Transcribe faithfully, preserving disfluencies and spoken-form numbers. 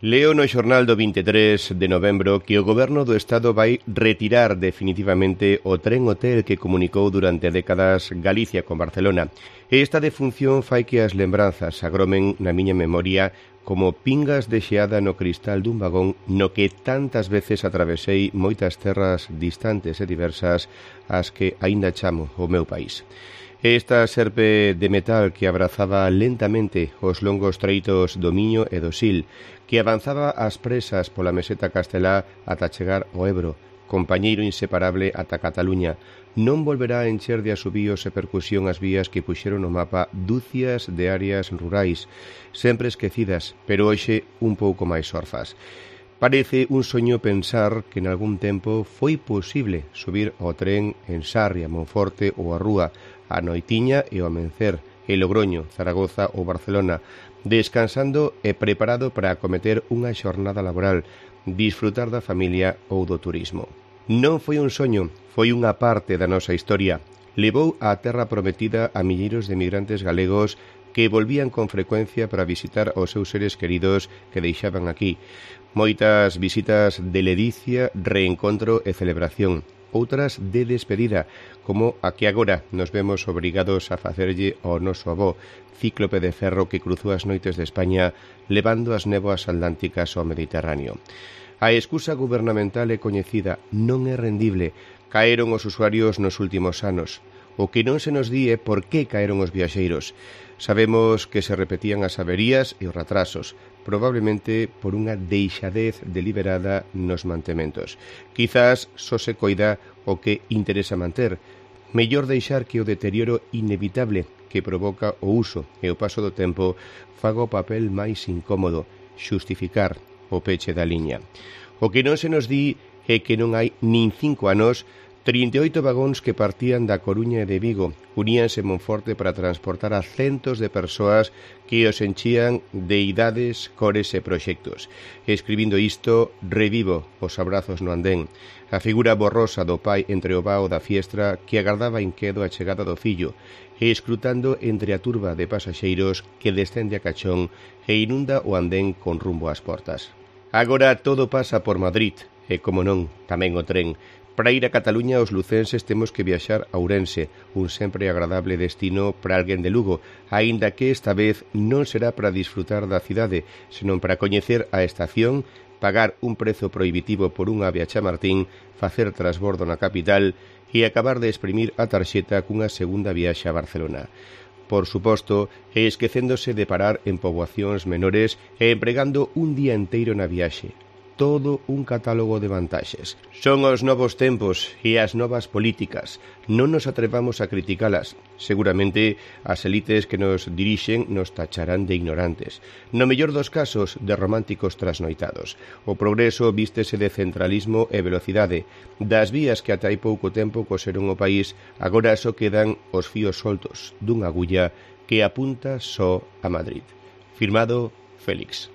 Leo no xornal do vinte e tres de novembro que o Goberno do Estado vai retirar definitivamente o tren hotel que comunicou durante décadas Galicia con Barcelona. E esta defunción fai que as lembranzas agromen na miña memoria como pingas de xeada no cristal dun vagón no que tantas veces atravesei moitas terras distantes e diversas as que aínda chamo o meu país. Esta serpe de metal que abrazaba lentamente os longos treitos do Miño e do Sil, que avanzaba ás presas pola meseta castelá ata chegar ao Ebro, compañeiro inseparable ata Cataluña, non volverá a encher de asubíos e percusión as vías que puxeron no mapa dúcias de áreas rurais, sempre esquecidas, pero hoxe un pouco máis orfas. Parece un soño pensar que en algún tempo foi posible subir ao tren en Sarria, Monforte ou a Rúa, a Noitiña e o Amencer, e Logroño, Zaragoza ou Barcelona, descansando e preparado para acometer unha xornada laboral, disfrutar da familia ou do turismo. Non foi un soño, foi unha parte da nosa historia. Levou á terra prometida a milleiros de migrantes galegos que volvían con frecuencia para visitar os seus seres queridos que deixaban aquí. Moitas visitas de ledicia, reencontro e celebración. Outras de despedida, como a que agora nos vemos obrigados a facerlle ao noso avó, cíclope de ferro que cruzou as noites de España levando as néboas atlánticas ao Mediterráneo. A excusa gubernamental é coñecida, non é rendible. Caeron os usuarios nos últimos anos. O que non se nos di é por que caeron os viaxeiros. Sabemos que se repetían as averías e os retrasos, probablemente por unha deixadez deliberada nos mantementos. Quizás só se coida o que interesa manter. Mellor deixar que o deterioro inevitable que provoca o uso e o paso do tempo faga o papel máis incómodo, xustificar o peche da liña. O que non se nos di é que non hai nin cinco anos trinta e oito vagóns que partían da Coruña e de Vigo uníanse en Monforte para transportar a centos de persoas que os enchían de idades, cores e proxectos. Escribindo isto, revivo os abrazos no andén, a figura borrosa do pai entre o vao da fiestra que agardaba inquedo a chegada do fillo, e escrutando entre a turba de pasaxeiros que descende a cachón e inunda o andén con rumbo ás portas. Agora todo pasa por Madrid, e como non, tamén o tren. Para ir a Cataluña os lucenses temos que viaxar a Ourense, un sempre agradable destino para alguén de Lugo, aínda que esta vez non será para disfrutar da cidade, senón para coñecer a estación, pagar un prezo prohibitivo por unha ave a Chamartín, facer trasbordo na capital e acabar de exprimir a tarxeta cunha segunda viaxe a Barcelona. Por suposto, e esquecéndose de parar en poboacións menores e empregando un día enteiro na viaxe. Todo un catálogo de vantaxes. Son os novos tempos e as novas políticas. Non nos atrevamos a criticalas. Seguramente as elites que nos dirixen nos tacharán de ignorantes. No mellor dos casos, de románticos trasnoitados. O progreso vístese de centralismo e velocidade. Das vías que ata hai pouco tempo coseron o país, agora só quedan os fíos soltos dunha agulla que apunta só a Madrid. Firmado Félix.